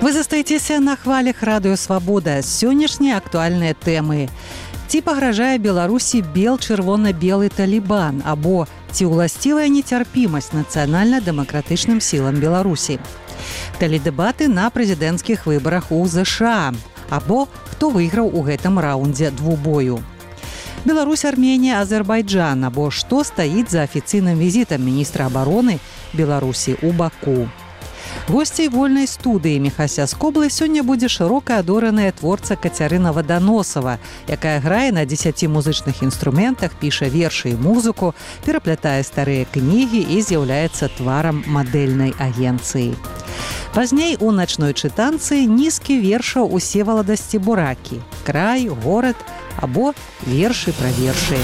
Вы застаецеся на хвалях радыё Свабода. Сённяшнія актуальныя тэмы. Ці пагражае Беларусі бел-чырвона-белы талібан, або ці ўласцівая нецярпімасць нацыянальна-дэмакратычным сілам Беларусі. Тэледэбаты на прэзідэнцкіх выбарах у ЗША, або хто выйграў у гэтым раўндзе двубою. Беларусь, Арменія, Азербайджан, або што стаіць за афіцыйным візітам міністра абароны Беларусі ў Баку. Госцей вольнай студыі Міхася Скоблы сёння будзе шырока адораная творца Кацярына Ваданосава, якая грае на 10 музычных інструментах, піша вершы і музыку, пераплятае старыя кнігі і з'яўляецца тварам мадэльнай агенцыі. Пазней у начной чытанцы нізкі вершаў у Всеволода Стебуракі, край, горад або вершы пра вершы.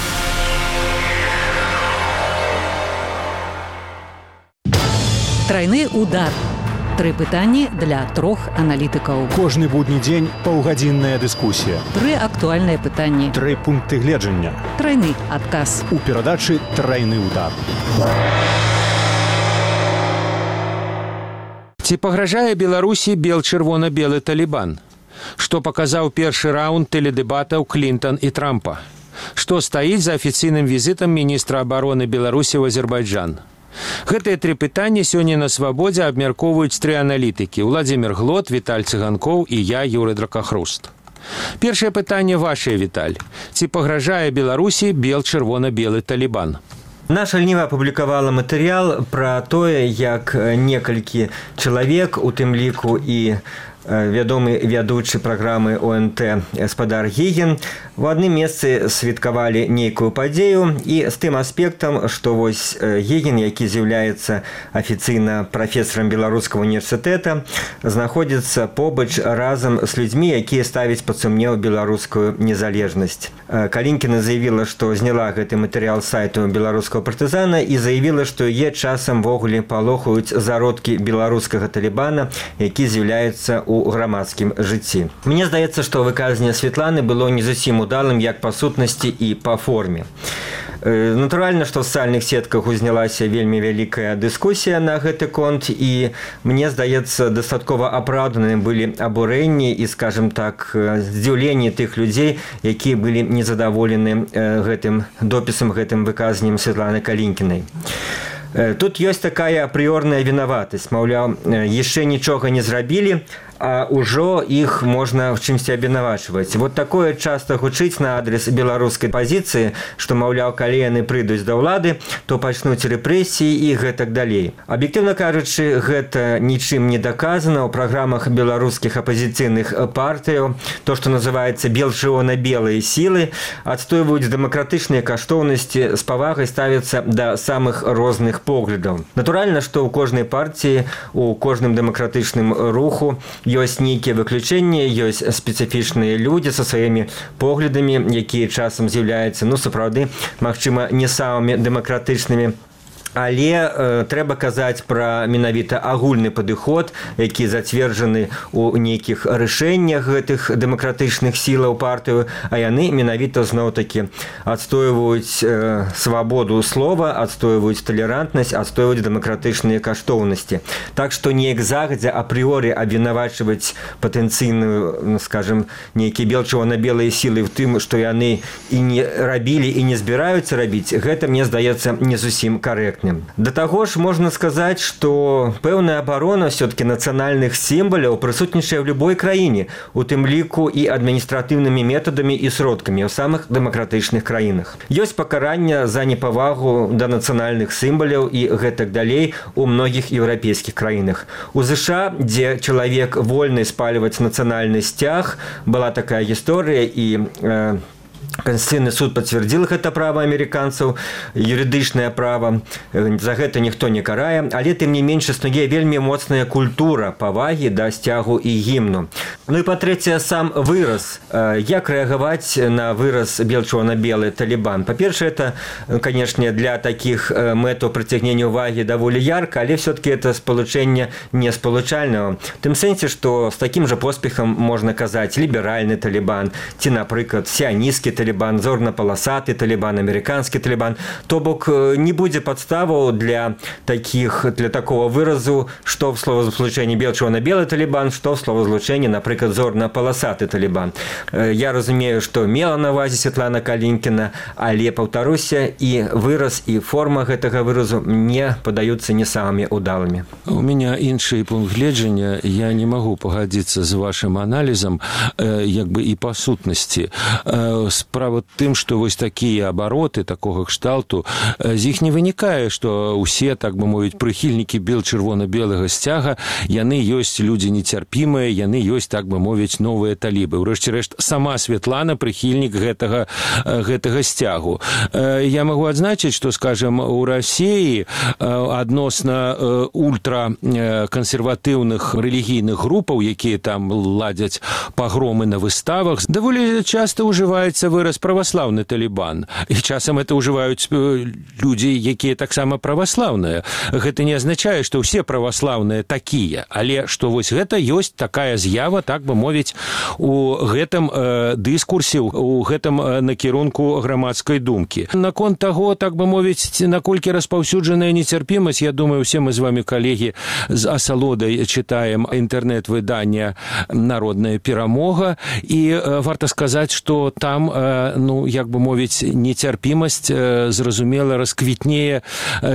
Трайны удар. 3 пытанні для 3 аналітыкаў. Кожны будні дзень паўгадзінная дыскусія. 3 актуальныя пытанні. 3 пункты гледжання. Трайны адказ. У перадачы «Трайны удар». Ці пагражае Беларусі бел-чырвона-белы талібан? Што паказаў першы раунд тэледэбатаў Клінтон і Трампа? Што стаіць за афіцыйным візітам міністра абароны Беларусі ў Азербайджан? Гэтыя 3 пытанні сёння на Свабодзе абмяркоўваюць 3 аналітыкі: Владзімир Глот, Віталь Цыганкоў і я, Юрый Дракахруст. Першае пытанне вашае, Віталь. Ці пагражае Беларусі бел-чырвона-белы талібан? Наша льніва апублікавала матэрыял пра тое, як некалькі чалавек, у тым ліку і вядомы вядучы праграмы ОНТ гаспадар Гігін, у адным месцы святкавалі нейкую падзею, і з тым аспектам, што вось Гігін, які з'яўляецца афіцыйна прафесарам беларускага універсітэта, знаходзіцца побач разам з людзьмі, якія ставяць пад сумнеў беларускую незалежнасць. Калінкіна заявіла, што зняла гэты матэрыял з сайту беларускага партызана і заявіла, што яе часам ввогуле палохаюць зародкі беларускага талібана, які з'яўляецца у грамадскім жыцці. Мне здаецца, што выказанне Святланы было не зусім удалым як па сутнасці і па форме. Натуральна, што ў сацыяльных сетках узнялася вельмі вялікая дыскусія на гэты конт, і мне здаецца, дастаткова апраўданыя былі абурэнні і, скажем так, здзіўленні тых людзей, якія былі незадаволены гэтым допісам, гэтым выказаннем Святланы Калінкінай. Тут ёсць такая апрыёрная вінаватасць, маўляў, яшчэ нічога не зрабілі, а ўжо іх можна в чымсьці абвінавачваць. Вот такое часта гучыць на адрес беларускай пазіцыі, што, маўляў, калі яны прыйдуць да ўлады, то пачнуць рэпрэсіі і гэтак далей. Аб'ектыўна кажучы, гэта нічым не даказана. У праграмах беларускіх апазіцыйных партыяў то, што называецца бел-чырвона-белыя сілы, адстойваюць дэмакратычныя каштоўнасці, з павагай ставяцца да самых розных поглядаў. Натуральна, што ў кожнай партыі, у кожным дэмакратычным руху ёсць нейкія выключэнні, ёсць спецыфічныя людзі са сваімі поглядамі, якія часам з'яўляюцца, сапраўды, магчыма, не самымі дэмакратычнымі. Але трэба казаць пра менавіта агульны падыход, які зацверджаны ў нейкіх рашэннях гэтых дэмакратычных сілаў партыю, а яны менавіта зноў-такі адстойваюць свабоду слова, адстойваюць талерантнасць, адстойваюць дэмакратычныя каштоўнасці. Так што неяк загадзя апрыёры абвінавачваць патэнцыйную, скажем, нейкія бел-чырвона-белыя сілы в тым, што яны і не рабілі і не збіраюцца рабіць, гэта, мне здаецца, не зусім карэктна. Да таго ж можна сказаць, што пэўная абарона ўсё-такі нацыянальных сімваляў прысутнічае ў любой краіне, у тым ліку і адміністратыўнымі метадамі і сродкамі ў самых дэмакратычных краінах. Ёсць пакаранне за непавагу да нацыянальных сімваляў і гэтак далей у многіх еўрапейскіх краінах. У ЗША, дзе чалавек вольны спальваць нацыянальны сцяг, была такая гісторыя, і Конституцыйны суд пацвердзіл гэта права амерыканцаў, юрыдычнае права, за гэта ніхто не карае, але тым не менш існуе вельмі моцная культура павагі да сцягу і гімну. І па-трэцяе, сам выраз. Як рэагаваць на выраз бел-чырвона-белы талібан? Па-першае, это, канешне, для такіх мэтаў прыцягнення ўвагі даволі ярка, але все-таки это спалучэнне не спалучальнага. В тым сэнсе, што з такім жа поспехам можна казаць ліберальны талібан ці, напрыклад, сіанісцкі талібан, талібан, зорна-паласаты талібан, амерыканскі талібан. То бок не будзе падставаў для такого выразу, што в словазлучэнні бел-чырвона-белы талібан, што в словазлучэнні, напрыклад, зорна-паласаты талібан. Я разумею, што мела на ўвазе Святлана Калінкіна, але, паўтаруся, і выраз, і форма гэтага выразу мне падаюцца не самымі удалымі. У меня іншы пункт гледжання. Я не могу пагадзіцца з вашым аналізам як бы і па сутнасці. Справа тым, што вось такія абароты такога кшталту, з іх не вынікае, што ўсе, так бы мовіць, прыхільнікі бел-чырвона-белага сцяга, яны ёсць людзі нецярпімыя, яны ёсць, так бы мовіць, новыя талібы. Урэшце рэшт, сама Святлана прыхільнік гэтага сцягу. Я могу адзначыць, што, скажем, у Расіі адносна ультракансерватыўных рэлігійных групаў, якія там ладзяць пагромы на выставах, даволі часта ўжываецца выраз праваслаўны талібан. І часам это ўжываюць людзі, якія таксама праваслаўныя. Гэта не азначае, што ўсе праваслаўныя такія, але што вось гэта ёсць такая з'ява, так бы мовіць, у гэтым дыскурсе, у гэтым накірунку грамадскай думкі. Наконт таго, так бы мовіць, наколькі распаўсюджаная нецярпімасць, я думаю, все мы з вами, калегі, з асалодай чытаем інтэрнэт-выдання «Народная перамога», і варта сказаць, што там, як бы мовіць, нецярпімасць, зразумела, расквітнее,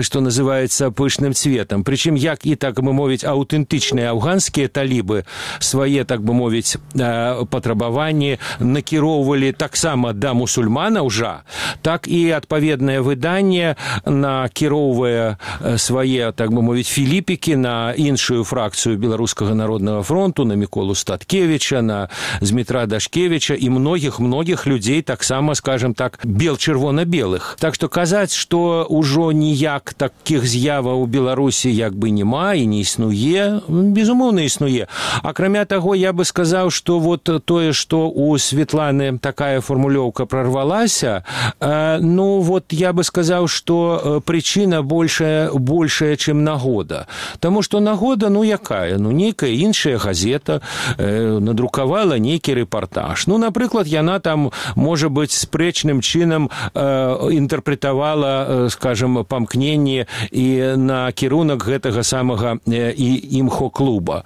што называецца, пышным цветам. Прычым, як і, так бы мовіць, аўтэнтычныя афганскія талібы свае, так бы мовіць, патрабаванні накіроўвалі таксама да мусульманаў жа, так і адпаведнае выданне накіроўвае свае, так бы мовіць, філіпікі на іншую фракцыю Беларускага народнага фронту, на Міколу Статкевіча, на Змітра Дашкевіча і многіх людзей таксама, скажем так, бел-чырвона-белых. Так што казаць, што ўжо ніяк такіх з'яваў у Беларусі як бы няма і не існуе, безумоўна існуе. Акрамя таго, я бы сказаў, што вот тое, што у Светланы такая формулёўка прорвалася, вот я бы сказаў, што прычына большая, чым нагода. Таму што нагода, якая? Нейкая іншая газета надрукавала нейкі рэпартаж. Напрыклад, яна там, можа быць, спрэчным чынам інтэрпрэтавала, скажем, памкненне і на кірунак гэтага самага імхо-клуба.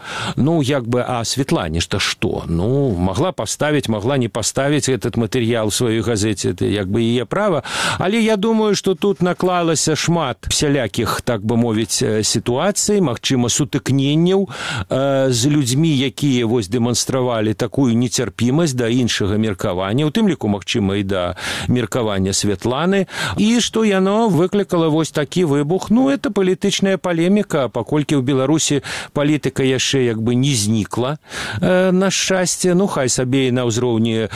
Як бы, а Светлане што? Могла паставіць, могла не паставіць этот матэрыял у сваёй газеце, это як бы яе права, але я думаю, што тут наклалася шмат всялякіх, так бы мовіць, сітуацый, магчыма, сутыкненняў з людзьмі, якія вось дэманстравалі такую нецярпімасць да іншага меркавання, у тым ліку, магчыма, і да меркавання Светланы, і што яно выклікала вось такі выбух. Это палітычная палеміка, паколькі ў Беларусі палітыка яшчэ як бы не знікла, на шчасце, хай сабе і на ўзроўні,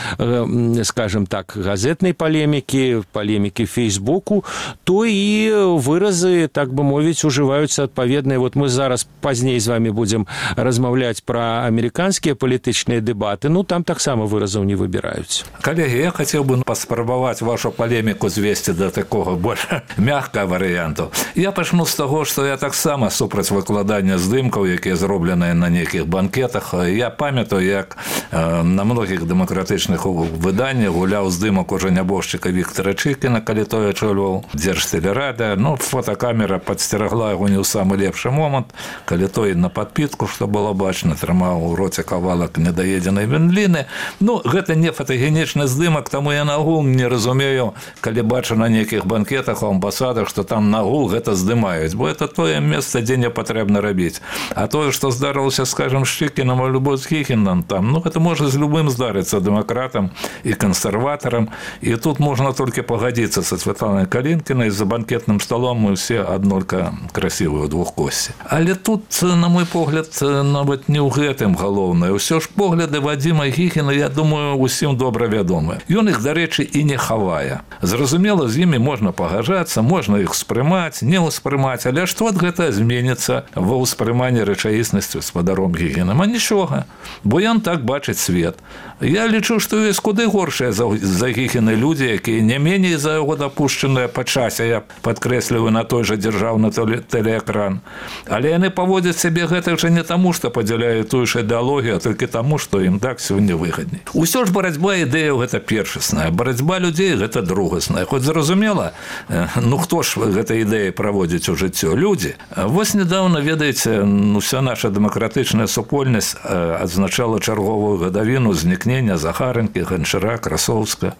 скажем так, газетнай палемікі Фейсбуку, то і выразы, так бы мовіць, ужываюцца адпаведныя. Вот мы зараз пазней з вами будзем размаўляць пра амерыканскія палітычныя дэбаты, там таксама выразаў не выбіраюць. Калегі, я хацеў бы паспрабаваць вашу палеміку звесці да такога больш мягкага варыянту. Я пачну з таго, што я таксама супраць выкладання здымкаў, якія зробленыя на нейкіх банкетах. Я памятаю, як на многіх дэмакратычных выданнях гуляў здымак уже нябожчыка Віктора Чыкіна, калі той ачольваў Дзяржтэлерада. Фотокамера падсцерагла яго не ў самы лепшы момант, калі той на падпітку, што было бачна, трымаў у роце кавалак недаедзенай вендліны. Гэта не фотагенічны здымак, таму я нагул не разумею, калі бачу на нейкіх банкетах у амбасадах, што там нагул гэта здымаюць, бо это тое месца, дзе не патрэбна рабіць. А тое, што здарылася, скажем, з Чыкінам а любой з Хіхінам, гэта можа з любым здарыцца, дэмакратам і кансерватарам. І тут можна толькі пагадзіцца са Светланай Калінкінай, за банкетным столом мы ўсе аднолька красивыя двухкосці. Але тут, на мой погляд, нават не ў гэтым галоўнае. Усё ж погляды Вадзіма Хіхіна, я думаю, усім добра вядомы. Ён іх, дарэчы, і не хавае. Зразумела, з імі можна пагаджацца, можна іх успрымаць, не ўспрымаць, але што гэта зменіцца ва ўспрыманні рэчаіснасці спадаром Гігінам? А нічога, бо ён так бачыць свет. Я лічу, што ёсць куды горшыя за Гігіны людзі, якія не меней за яго дапушчаныя па часе, я падкрэсліваю, на той жа дзяржаўны тэлеэкран. Але яны паводзяць сябе гэтак жа не таму, што падзяляюць тую ж ідэалогію, а толькі таму, што ім так сёння выгадней. Усё ж барацьба ідэяў гэта першы першасная. Барацьба людзей – гэта другасная. Хоць зразумела, ну хто ж гэтай ідэі праводзіць у жыццё? Людзі. Вось недавно, ведаеце, уся наша дэмакратычная супольнасць адзначала чарговую гадавіну знікнення Захарынкі, Ганчара, Красоўска.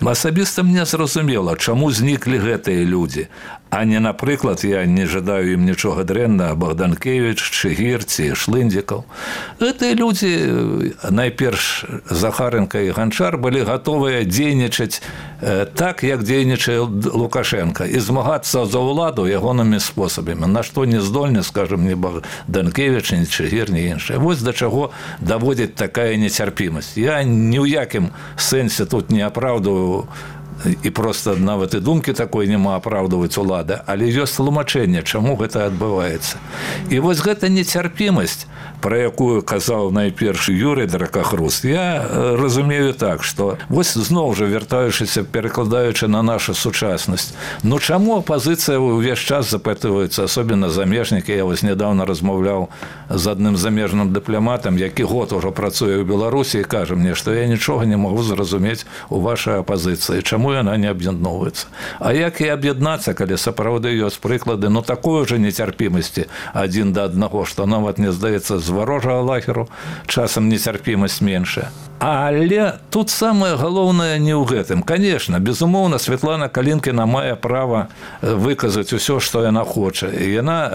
Асабіста мне зразумела, чаму зніклі гэтыя людзі, а не, напрыклад, я не жадаю ім нічога дрэнна, Богданкевич, Чыгір ці Шлындзікаў. Гэтыя людзі, найперш Захарынка і Ганчар, былі гатовыя дзейнічаць так, як дзейнічае Лукашенко, і змагацца за ўладу ягонымі спосабамі, на што не здольны, скажем, ні Богданкевич, ні Чыгір, ні іншае. Вось да чаго даводзіць такая нецярпімасць. Я ні ў якім сэнсе тут не апраўдваю і проста нават і думкі такой няма апраўдваць улады, але ёсць тлумачэнне, чаму гэта адбываецца. І вось гэта нецярпімасць, пра якую казаў найперш Юрый Дракахруст, я разумею так, што вось зноў жа вяртаючыся, перакладаючы на нашу сучаснасць, ну чаму апазіцыя ўвесь час запытваецца, асобна замежнікі? Я вось нядаўна размаўляў з адным замежным дыпламатам, які год ужо працуе ў Беларусі, і кажа мне, што я нічога не магу зразумець у вашай апазіцыі, чаму яна не аб'ядноўваецца. А як і аб'яднацца, калі сапраўды ёсць прыклады, ну такой жа нецярпімасці адзін да аднаго, што нават не здаецца з варожага лагеру часам нецярпімасць меншая. Але тут самае галоўнае не ў гэтым. Конечно, безумоўна, Светлана Калінкіна мае права выказаць усё, што яна хоча. І яна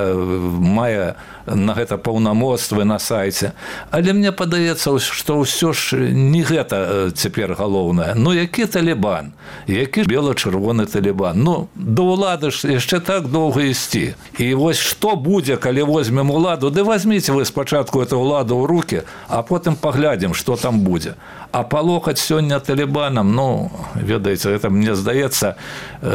мае на гэта паўнамоцтвы на сайце. Але мне падаецца, што ўсё ж не гэта цяпер галоўнае. Ну, які Талібан? Які бела-чырвоны Талібан? Ну, да ўлады ж яшчэ так доўга ісці. І вось што будзе, калі возьмем уладу? Ды возьміце вы спачатку эту ўладу ў рукі, а потым паглядзім, што там будзе. А палохаць сёння Талібанам, ну, ведаеце, это, мне здаецца,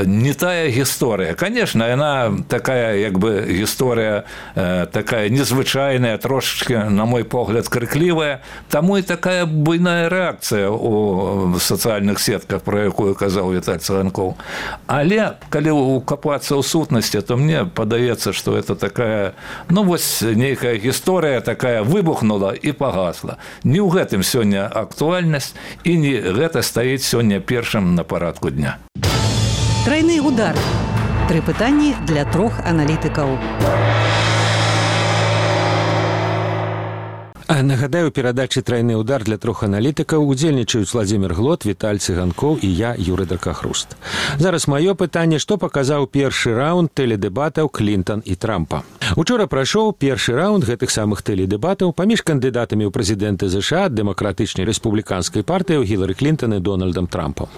не тая гісторыя. Конечно, яна такая, як бы, гісторыя такая незвычайная, трошечки, на мой погляд, крыклівая. Таму і такая буйная рэакцыя у сацыяльных сетках, пра якую казаў Віталь Цыганкоў. Але, калі укапацца ў сутнасці, то мне падаецца, што это такая, ну, вось, нейкая гісторыя такая выбухнула і пагасла. Не ў гэтым сёння актуальнасць, і не гэта стаіць сёння першым на парадку дня. Трайны удар. 3 пытанні для 3 аналітыкаў. Нагадаю, у перадачы «Трайны удар» для 3 аналітыкаў удзельнічаюць Владзімір Глот, Віталь Цыганкоў і я, Юрый Дракахруст. Зараз маё пытанне, што паказаў першы раунд тэледэбатаў Клінтан і Трампа. Учора прайшоў першы раунд гэтых самых тэледэбатаў паміж кандыдатамі ў прэзідэнты ЗША ад дэмакратычнай рэспубліканскай партыі Гілары Клінтан і Дональдам Трампам.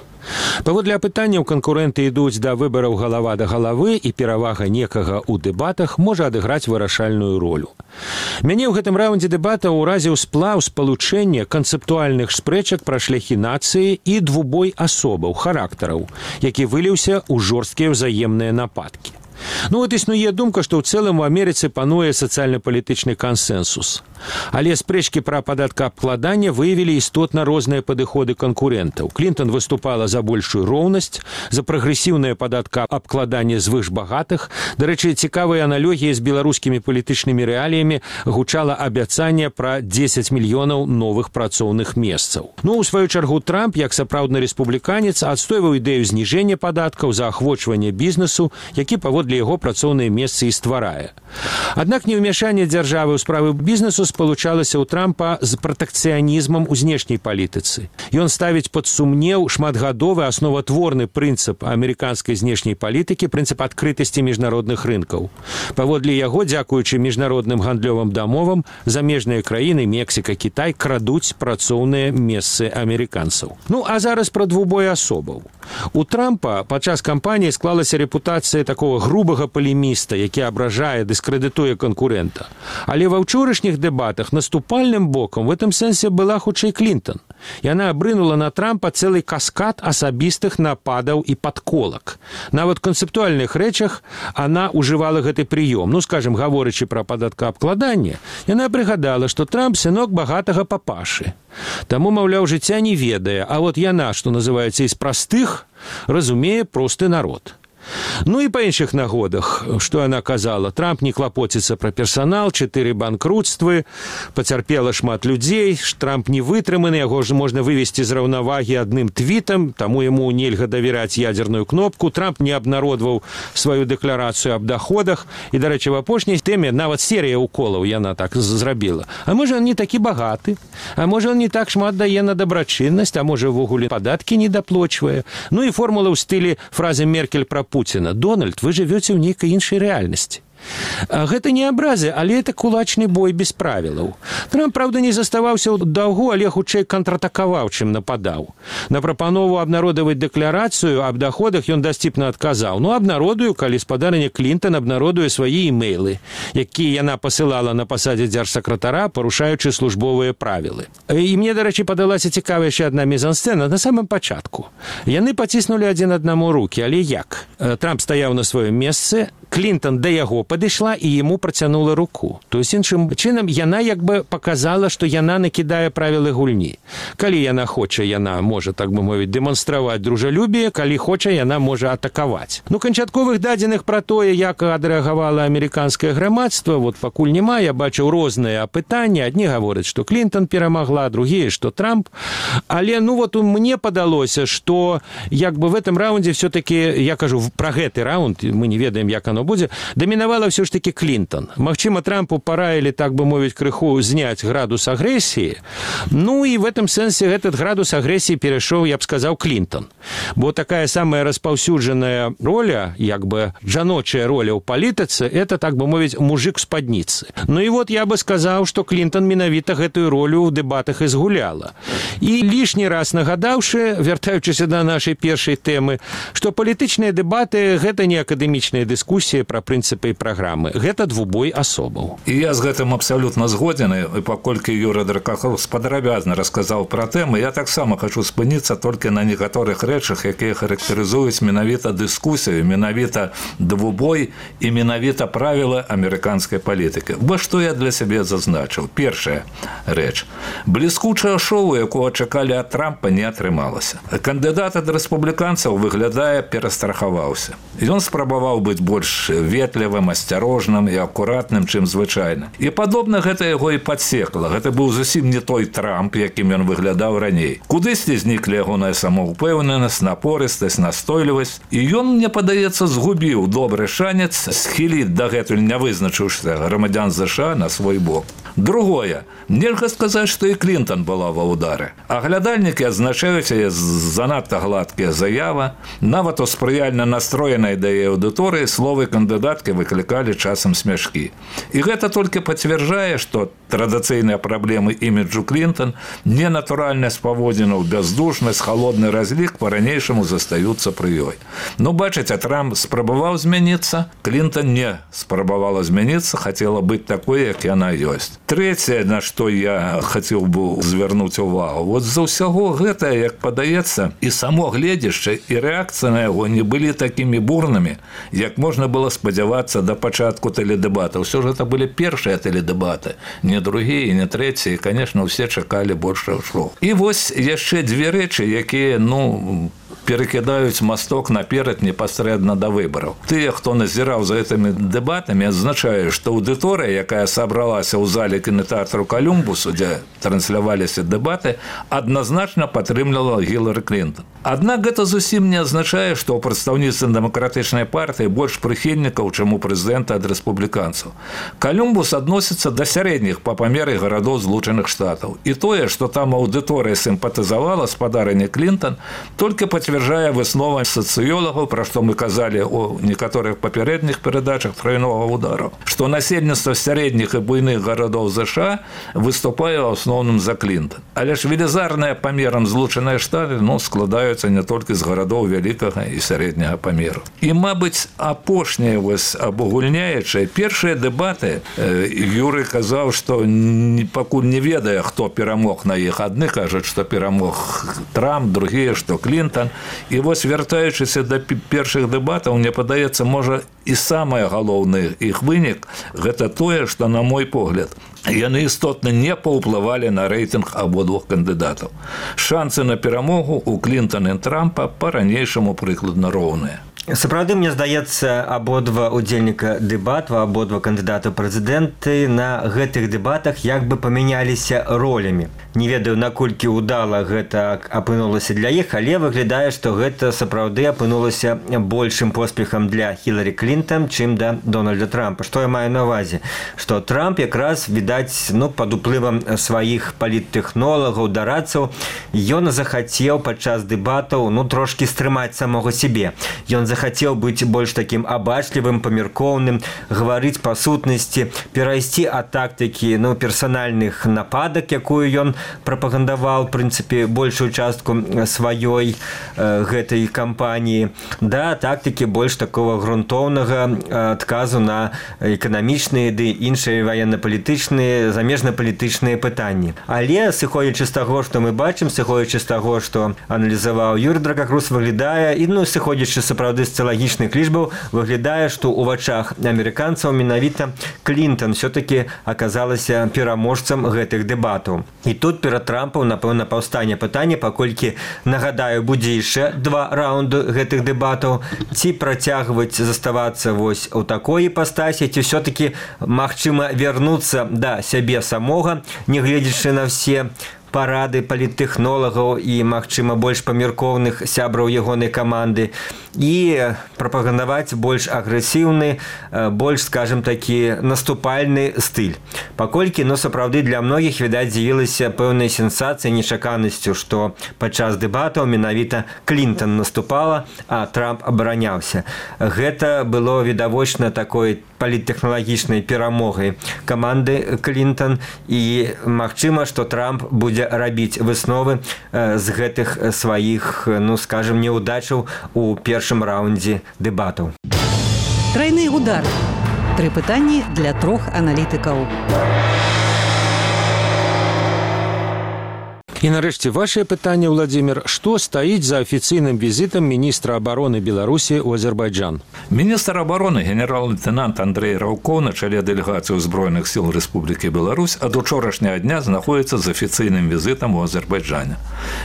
Паводле апытанняў канкурэнты ідуць да выбараў галава да галавы, і перавага некага ў дэбатах можа адыграць вырашальную ролю. Мяне ў гэтым раундзе дэбатаў уразіў сплаў спалучэння канцэптуальных спрэчак пра шляхі нацыі і двубой асобаў, характараў, які выліўся ў жорсткія ўзаемныя нападкі. Ну, вот існуе думка, што ў цэлым у Амерыцы пануе сацыяльна-палітычны кансэнсус. Але спрэчкі пра падаткаабкладанне выявілі істотна розныя падыходы канкурэнтаў. Клінтан выступала за большую роўнасць, за прагрэсіўнае падаткаабкладанне звышбагатых. Дарэчы, цікавыя аналогіі з беларускімі палітычнымі рэаліямі гучала абяцанне пра 10 мільёнаў новых працоўных месцаў. Ну, у сваю чаргу, Трамп, як сапраўдны рэспубліканец, адстойваў ідэю зніжэння падаткаў, заахвочвання бізнесу, які паводле яго працоўныя месцы і стварае. Аднак неўмяшанне дзяржавы ў справы бізнесу спалучалася ў Трампа з пратэкцыянізмам у знешняй палітыцы. Ён ставіць пад сумнеў шматгадовы асноватворны прынцып амерыканскай знешняй палітыкі, прынцып адкрытасці міжнародных рынкаў. Паводле яго, дзякуючы міжнародным гандлёвым дамовам, замежныя краіны, Мексіка, Кітай, крадуць працоўныя месцы амерыканцаў. Ну, а зараз пра двубой асобаў. У Трампа падчас кампаніі склалася рэпутацыя такого грубага палеміста, які абражае, дыскрэдытуе канкурэнта. Але ва ўчорашніх дэбатах наступальным бокам в этом сэнсе была хутчэй Клінтан. Яна абрынула на Трампа цэлы каскад асабістых нападаў і падколак. Нават у канцэптуальных рэчах она ўжывала гэты прыём. Ну, скажем, гаворачы пра падаткаабкладанне, яна прыгадала, што Трамп сынок багатага папашы. Таму, маўляў, жыцця не ведае, а вот яна, што называецца, з простых, разумее просты народ. Ну і па іншых нагодах, што яна казала, Трамп не клапоціцца пра персанал, 4 банкрутствы, пацярпела шмат людзей, Трамп не вытрыманы, яго ж можна вывесці з раўнавагі адным твітам, таму яму нельга давяраць ядзерную кнопку, Трамп не абнародваў сваю дэкларацыю аб доходах, і, дарэчы, в апошняй тэме нават серыя уколаў яна так зрабіла. А можа, он не такі багаты, а можа, он не так шмат дае на дабрачыннасць, а можа, ввогуле падаткі не даплочвае. Ну і формула ў стылі фразы Меркель пра Пуціна. Дональд, вы жывёце ў нейкай іншай рэальнасці. Гэта не абразы, але это кулачны бой без правілаў. Трамп, правда, не заставаўся ў даўгу, але хутчэй контратакаваў, чым нападаў. На прапанову абнародаваць дэкларацыю аб доходах ён дасціпна адказаў. Ну, абнародую, калі спадарня Клінтон абнародуе свае імейлы, якія яна пасылала на пасадзе дзяржсакратара, парушаючы службовыя правілы. І мне, дарэчы, падалася цікавая яшчэ адна мізансцэна на самым пачатку. Яны паціснулі адзін аднаму рукі, але як? Трамп стаяў на сваім месцы, Клінтон да яго падышла і яму працянула руку. То есть, іншым чынам, яна як бы показала, што яна накідае правілы гульні. Калі яна хоча, яна можа, так бы мовіць, дэманстраваць дружалюбие, калі хоча, яна можа атакаваць. Ну, канчатковых дадзеных пра тое, як адрэагавала амерыканскае грамадства, вот пакуль няма, я бачыў розныя апытанні. Адні гавораць, што Клінтон перамагла, другія, што Трамп. Але, ну, вот мне падалося, што як бы в этом раунде все-таки, я кажу, пра гэты раунд, мы не ведаем, як оно будзе, дамінавала все ж таки Клінтон. Магчыма, Трампу параілі, так бы мовіць, крыху зняць градус агрэсіі. Ну і в этом сэнсе этот градус агрэсіі перайшоў, я б сказаў, Клінтон. Бо такая самая распаўсюджаная роля, як бы жаночая роля ў палітыцы, это, так бы мовіць, мужик у спадніцы. Ну і вот я бы сказаў, што Клінтон менавіта гэтую ролю ў дэбатах і згуляла. І лішні раз нагадаўшы, вяртаючыся да нашай першай тэмы, што палітычныя дэбаты – гэта не акадэмічныя дыскусіі пра прынцыпы і праграмы. Гэта двубой асобаў. І я з гэтым абсалютна згоден, і паколькі Юра Дракаховс падрабязна расказаў пра тэмы, я таксама хачу спыніцца толькі на некаторых рэчах, якія характарызуюць менавіта дыскусію, менавіта двубой і менавіта правілы амерыканскай палітыкі. Бо што я для сябе зазначыў? Першая рэч. Бліскучае шоу, якого чакалі ад Трампа, не атрымалася. Кандыдат ад рэспубліканцаў, выглядае, перастрахаваўся. Ён спрабаваў быць больш ветлівым, асцярожным і акуратным, чым звычайна. І падобна гэта яго і падсекла. Гэта быў зусім не той Трамп, якім ён выглядаў раней. Кудысьці зніклі ягоная самаўпэўненасць, напорыстасць, настойлівасць. І ён, мне падаецца, згубіў добры шанец схіліць дагэтуль не вызначыўся грамадзян США на свой бок. Другое. Нельга сказаць, што і Клінтон была ва ўдары. Аглядальнікі адзначаюць яе занадта гладкія заявы, нават у спрыяльна настроенай да яе аўдыторыі словы кандыдаткі выклікалі часам смяшкі. І гэта толькі пацвярджае, што традыцыйныя праблемы іміджу Клінтон, ненатуральнасць паводзінаў, бяздушнасць, халодны разлік па-ранейшаму застаюцца пры ёй. Ну, бачыце, Трамп спрабаваў змяніцца, Клінтон не спрабавала змяніцца, хацела быць такой, як яна ёсць. Трэцяе, на што я хацеў бы звярнуць увагу, вот за ўсяго гэта, як падаецца, і само гледзішча, і рэакцыя на яго не былі такімі бурнымі, як можна было спадзявацца да пачатку тэледэбата. Ўсё ж гэта былі першыя тэледэбаты, не другія, не трэція, і, конечно, ўсе чакалі большых шоу. І вось яшчэ дзве рэчы, якія, ну, перакідаюць масток наперад непасрэдна да выбараў. Тыя, хто назіраў за гэтымі дэбатамі, адзначаюць, што аўдыторыя, якая сабралася ў зале кінотэатру Колумбусу, дзе трансляваліся дэбаты, адназначна падтрымлівала Гілары Клінтон. Аднак гэта зусім не азначае, што ў прадстаўніцтве дэмакратычнай партыі больш прыхільнікаў, чым у прэзідэнта ад рэспубліканцаў. Колумбус адносіцца да сярэдніх па памеры гарадоў Злучаных Штатаў. І тое, што там аўдыторыя сімпатызавала спадарыні Клінтон, толькі пацвярджае выснова сацыёлагаў, пра што мы казалі ў некаторых папярэдніх перадачах тройнога ўдару, што насельніцтва сярэдніх і буйных гарадоў ЗША выступае ў асноўным за Клінтон. Але ж велізарныя памерам Злучаныя Штаты, ну, складаюцца не толькі з гарадоў вялікага і сярэдняга памеру. І, мабыць, апошняе вось абагульняючае, першыя дэбаты, Юрый казаў, што пакуль не ведае, хто перамог на іх. Адны кажуць, што перамог Трамп, другія, што Клінтон. І вось, вяртаючыся да першых дэбатаў, мне падаецца, можа, і самае галоўнае іх вынік – гэта тое, што, на мой погляд, яны істотна не паўплывалі на рэйтынг абодвух кандыдатаў. Шансы на перамогу у Клінтона і Трампа па-ранейшаму прыкладна роўныя. Сапраўды, мне здаецца, абодва удзельніка дэбатаў, абодва кандыдата прэзідэнты на гэтых дэбатах як бы памяняліся ролямі. Не ведаю, наколькі ўдала гэта апынулася для іх, але выглядае, што гэта сапраўды апынулася большым поспехам для Хіларі Клінтон, чым да Дональда Трампа. Што я маю на ўвазе? Што Трамп якраз, відаць, пад уплывам сваіх паліттэхнолагаў, дарадцаў, ён захацеў падчас дэбатаў трошкі стрымаць самога сябе. Ён захацеў быць больш такім абачлівым, памяркоўным, гаварыць па сутнасці, перайсці ад тактыкі персанальных нападак, якую ён прапагандаваў, в прынцыпе, большую частку сваёй гэтай кампаніі, да тактыкі больш такого грунтоўнага адказу на эканамічныя ды іншыя ваенна-палітычныя, замежна-палітычныя пытанні. Але, сыходзячы з таго, што мы бачым, сыходзячы з таго, што аналізаваў Юрый Дракакрус, выглядае, і сыходзячы сапраўды з социологічных лічбаў, выглядае, што ў вачах амерыканцаў менавіта Клінтон все-таки аказалася пераможцам гэтых дэбатаў. І тут перад Трампом, напэўна, паўстане пытанне, паколькі, нагадаю, будзе яшчэ 2 раунды гэтых дэбатаў, ці працягваць заставацца вось у такой іпастасі, ці все-таки магчыма вярнуцца да сябе самога, не гледзячы на все парады паліттэхнолагаў і, магчыма, больш памяркоўных сябраў ягонай каманды і прапагандаваць больш агрэсіўны, больш, скажем такі, наступальны стыль. Паколькі, сапраўды, для многіх, відаць, з'явілася пэўная сенсацыя, нечаканасцю, што падчас дэбатаў менавіта Клінтон наступала, а Трамп абараняўся. Гэта было відавочна такой паліттэхналагічнай перамогай каманды Клінтон, і магчыма, што Трамп будзе рабіць высновы з гэтых сваіх, скажем, неудачаў у першым раундзе дэбатаў. Трайны удар. 3 пытанні для 3 аналітыкаў. І нарэшце вашае пытанне, Владимир, што стаіць за афіцыйным візітам міністра абароны Беларусі ў Азербайджан? Міністр абароны генерал-лейтенант Андрей Раўкоў на чале дэлегацыі Збройных сіл Рэспублікі Беларусь ад учорашняга дня знаходзіцца з афіцыйным візітам у Азербайджане.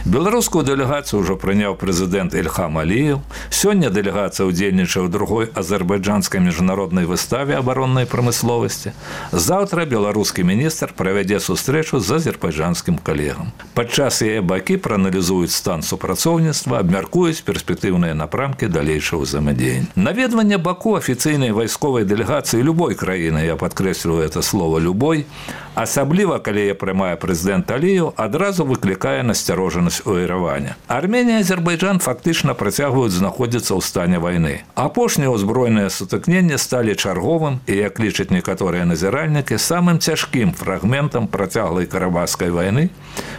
Беларускую дэлегацыю ўжо прыняў прэзідэнт Ільхам Аліеў. Сёння дэлегацыя ўдзельнічае ў другой азербайджанскай міжнароднай выставе абароннай прамысловасці. Заўтра беларускі міністр правядзе сустрэчу з азербайджанскім калегам. Падчас яе бакі прааналізуюць стан супрацоўніцтва, абмяркуюць перспектыўныя напрамкі далейшага ўзаемадзеяння. Наведванне Баку афіцыйнай вайсковай дэлегацыі любой краіны, я падкрэсліваю это слово «любой», асабліва, калі яе прымае прэзідэнт Аліеў, адразу выклікае насцярожанасць у Ерэване. Арменія і Азербайджан фактычна працягваюць знаходзіцца ў стане вайны. Апошнія ўзброеныя сутыкненні сталі чарговым і, як лічаць некаторыя назіральнікі, самым цяжкім фрагментам працяглай карабахскай вайны,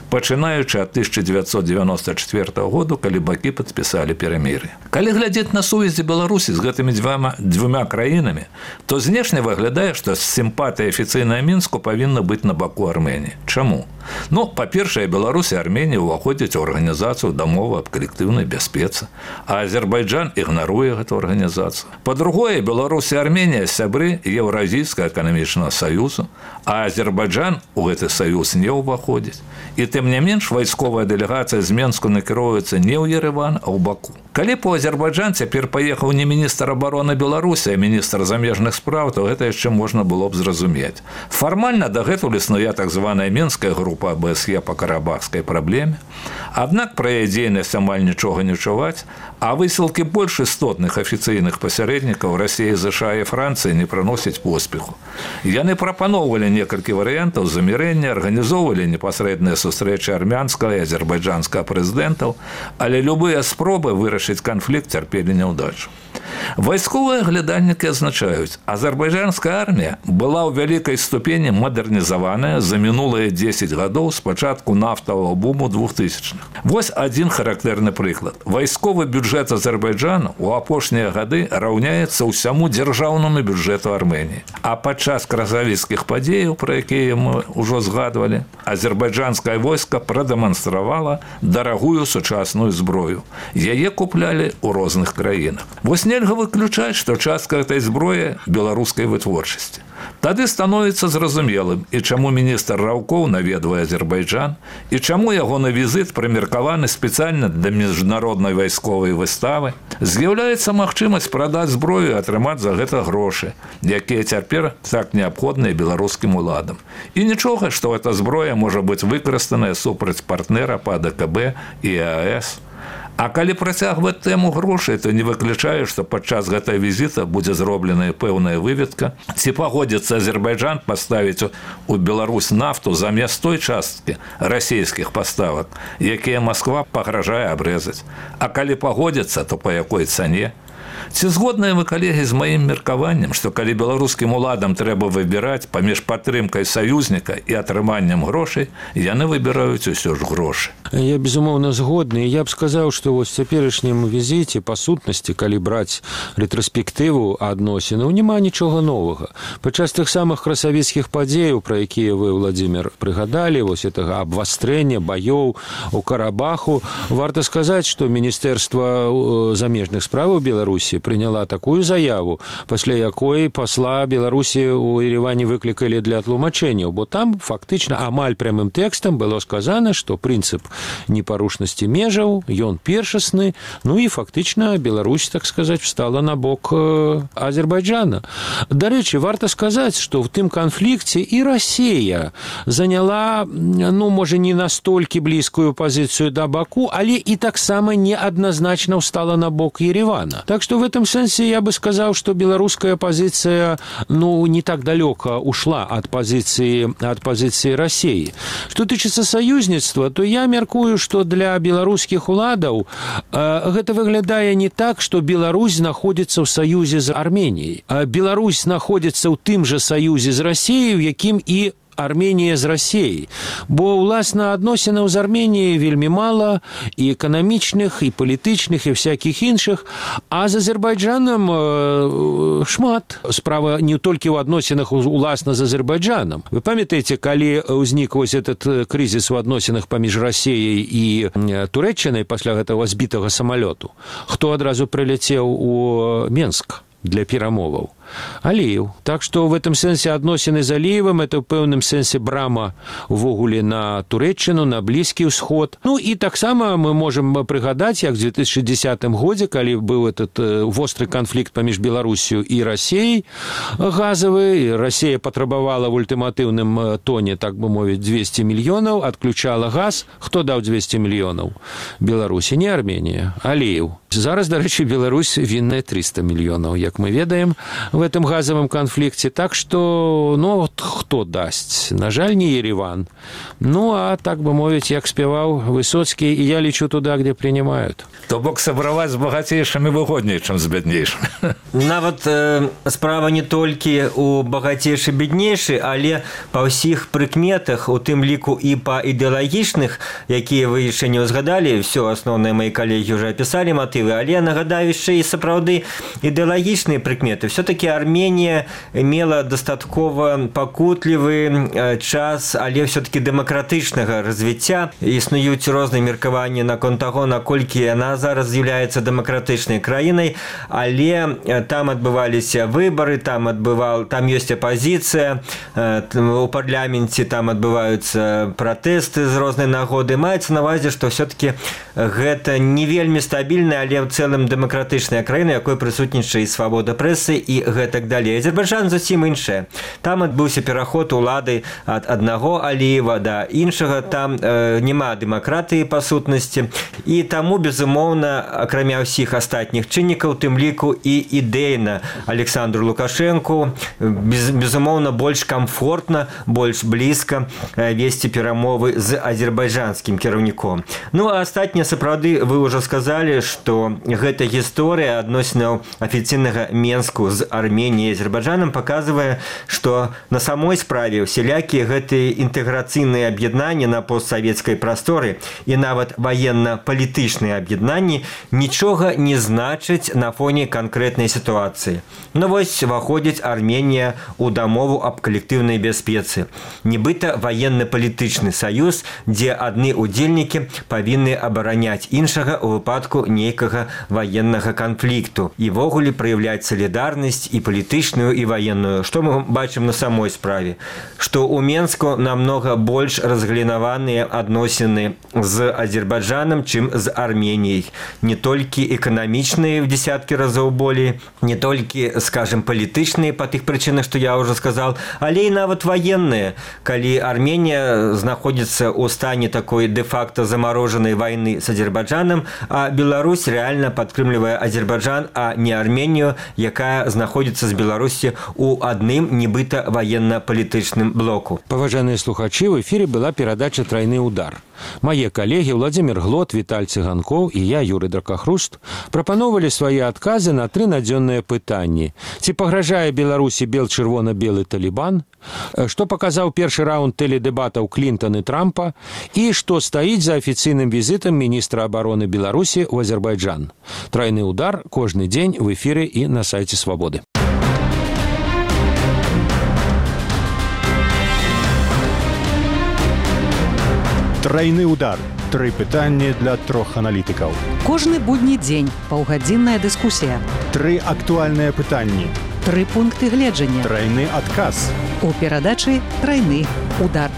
пачынаючы ад 1994 году, калі бакі падпісалі перамір'е. Калі глядзець на сувязі Беларусі з гэтымі дзвюма краінамі, то знешне выглядае, што сімпатыя афіцыйная Мінску павінна быць на баку Арменіі. Чаму? Па-першае, Беларусь і Арменія ўваходзяць у арганізацыю дамовы аб калектыўнай бяспецы, а Азербайджан ігнаруе гэту арганізацыю. Па-другое, Беларусь і Арменія сябры Еўразійскага эканамічнага саюзу, а Азербайджан у гэты саюз не ўваходзіць. І тым не менш, вайсковая дэлегацыя з Менску накіроўваецца не ў Ерэван, а ў Баку. Калі б у Азербайджан цяпер паехаў не міністр абароны Беларусі, а міністр замежных спраў, то гэта яшчэ можна было б зразумець. Фармальна дагэтуль існуе так званая Мінская група АБСЕ па карабахскай праблеме. Аднак пра яе дзейнасць амаль нічога не чуваць, а высілкі больш істотных афіцыйных пасярэднікаў Расіі, ЗША і Францыі не прыносяць поспеху. Яны прапаноўвалі некалькі варыянтаў замірэння, арганізоўвалі непасрэдныя сустрэчы армянскага і азербайджанскага прэзідэнтаў, але любыя спробы вырашыць канфлікт цярпелі няўдачу. Вайсковыя глядальнікі азначаюць, азербайджанская армія была ў вялікай ступені мадэрнізаваная за мінулыя 10 гадоў з пачатку нафтавага буму 2000-х. Вось адзін характэрны прыклад. Вайсковы бюджэт Азербайджану ў апошнія гады раўняецца ўсяму дзяржаўнаму бюджэту Арменіі. А падчас красавіцкіх падзеяў, пра якія мы ўжо згадвалі, азербайджанскае войска прадэманстравала дарагую сучасную зброю. Яе куплялі ў розных краінах. Вось нельга выключаць, што частка гэтай зброі беларускай вытворчасці. Тады становіцца зразумелым, і чаму міністр Раўкоў наведвае Азербайджан, і чаму ягоны візіт прымеркаваны спецыяльна для міжнароднай вайсковай выставы. З'яўляецца магчымасць прадаць зброю і атрымаць за гэта грошы, якія цяпер так неабходныя беларускім уладам. І нічога, што эта зброя можа быць выкарыстаная супраць партнера па АДКБ і ЕАЭС. А калі працягваць тэму грошай, то не выключаю, што падчас гэтай візіта будзе зробленая пэўная выведка, ці пагодзіцца Азербайджан паставіць у Беларусь нафту замест той часткі расійскіх паставак, якія Масква пагражае абрэзаць. А калі пагодзіцца, то па якой цане? Ці згодныя вы, калегі, з маім меркаваннем, што калі беларускім уладам трэба выбіраць паміж падтрымкай саюзніка і атрыманнем грошай, яны выбіраюць усё ж грошы? Я, безумоўна, згодны. Я б сказаў, што вось цяперашнім візіце, па сутнасці, калі браць рэтраспектыву адносінаў, няма нічога новага. Падчас тых самых красавіцкіх падзеяў, пра якія вы, Владзімир, прыгадалі, вось гэтага абвастрэння баёў у Карабаху, варта сказаць, што Міністэрства замежных справаў Беларусі прыняла такую заяву, пасля якой пасла Беларусі ў Ереване выклікалі для тлумачэнняў, бо там фактычна амаль прямым тэкстам было сказана, што прынцып непарушнасці межаў, ён першасны, ну і фактычна Беларусь, так сказаць, встала на бок Азербайджана. Дарэчы, варта сказаць, што ў тым канфлікце і Расія заняла, ну, можа, не настолькі блізкую пазіцыю да Баку, але і таксама неадназначна встала на бок Еревана. Так что в этом сенсе я бы сказал, что белорусская позиция, ну, не так далеко ушла от позиции России. Что тычыцца союзніцтва, то я меркую, что для беларускіх уладаў гэта выглядае не так, что Беларусь находится в союзе з Арменіяй. Беларусь находится ў тым же союзе з Россией, в якім і Арменія з Расіяй. Бо, уласна, адносінаў з Арменіяй вельмі мала, і эканамічных, і палітычных, і всякіх іншых, а з Азербайджанам шмат. Справа не толькі ў адносінах уласна з Азербайджанам. Вы памятаеце, калі ўзнік вось этот крызіс у адносінах паміж Расіяй і Турэччынай пасля гэтага збітага самалёту? Хто адразу прыляцеў у Менск для перамоваў? Аліев. Так что в этом сенсе адносіны з Аліевым это в пэўным сенсе брама увогуле на Турэччыну, на Блізкі ўсход. Ну і таксама мы можем прыгадаць, як в 2010 годзе, калі быў этот востры канфлікт паміж Беларусію і Расіяй газавы, Расія патрабавала в ультыматыўным тоне, так бы мовіць, 200 мільёнаў, адключала газ. Хто даў 200 мільёнаў? Беларусі, не Арменія, Аліев. Зараз, дарэчы, Беларусь вінная 300 мільёнаў, як мы ведаем, в этом газовом конфликте. Так что, ну, вот кто даст? На жаль, не Ереван. Ну, а так бы мовить, як спевал Высоцкий, и я лечу туда, где принимают. То бок сабраваць з багацейшымі выгодней, чым з бяднейшымі. Нават справа не толькі у багацейшы беднейшы, але па ўсіх прыкметах, у тым ліку і па ідэалагічных, якія вы яшчэ не ўзгадалі, все асноўныя мои калегі уже опісалі матывы, але нагадаю яшчэ і сапраўды ідэалагічныя прыкметы. Все-таки Армения имела достаткова пакутлівы час, але все-таки дэмакратычнага развіцця. Існуюць розныя меркаванні наконт таго, наколькі яна зараз з'яўляецца дэмакратычнай краінай, але там адбываліся выбары, там ёсць апозіцыя, у парламенце там адбываюцца пратэсты з рознай нагоды. Маецца на ўвазе, што все-таки гэта не вельмі стабільная, але ў цэлым дэмакратычная краіна, якой прысутнічае і свабода прэсы і гэтак далей. Азербайджан зусім іншая. Там адбыўся пераход улады ад аднаго Аліева да іншага, там няма дэмакратыі па сутнасці, і таму, безумоўна, акрамя ўсіх астатніх чыннікаў, тым ліку і ідэйна Александру Лукашэнку, безумоўна, больш камфортна, больш блізка весці перамовы з азербайджанскім кіраўніком. Ну, а астатнія, сапраўды, вы ўжо сказалі, што гэта гісторыя адносінаў афіцыйнага Менску з Арменіяй і Азербайджанам паказвае, што на самой справе усялякія гэтыя інтэграцыйныя аб'яднанні на постсавецкай прасторы і нават ваенна-палітычныя аб'яднанні нічога не значаць на фоне канкрэтнай сітуацыі. Ну вось выходзіць Арменія ў дамову аб калектыўнай бяспецы. Нібыта ваенна-палітычны саюз, дзе адны удзельнікі павінны абараняць іншага ў выпадку нейкага ваеннага канфлікту і ввогуле праяўляць салідарнасць і палітычную, і ваенную. Што мы бачым на самой справе? Што ў Менску намнога больш разгалінаваныя адносіны з Азербайджанам, чым з Арменіяй. Не толькі эканамічныя в десяткі разоў болей, не толькі, скажем, палітычныя па тых прычынах, што я ўжо сказал, але і нават ваенныя. Калі Арменія знаходзіцца ў стане такой де-факто замарожанай вайны з Азербайджанам, а Беларусь реально падтрымлівае Азербайджан, а не Арменію, якая знаходзіцца з Беларусі ў адным нібыта ваенна-палітычным блоку. Паважаныя слухачы, в эфире была перадача «Тройны удар». Мае калегі Владимир Глот, Віталь Цыганкоў і я, Юрый Дракахруст, прапановалі свае адказы на 3 надзённыя пытанні. Ці пагражае Беларусі бел-чырвона-белы талібан? Што паказаў першы раунд тэледэбатаў Клінтан і Трампа? І што стаіць за афіцыйным візітам міністра абароны Беларусі ў Азербайджан? «Тройны удар» кожны дзень в эфіры і на сайце Свабоды. Тройны удар. 3 пытанні для 3 аналітыкаў. Кожны будні дзень паўгадзінная дыскусія. 3 актуальныя пытанні. 3 пункты гледжання. Тройны адказ. У перадачы «Тройны удар».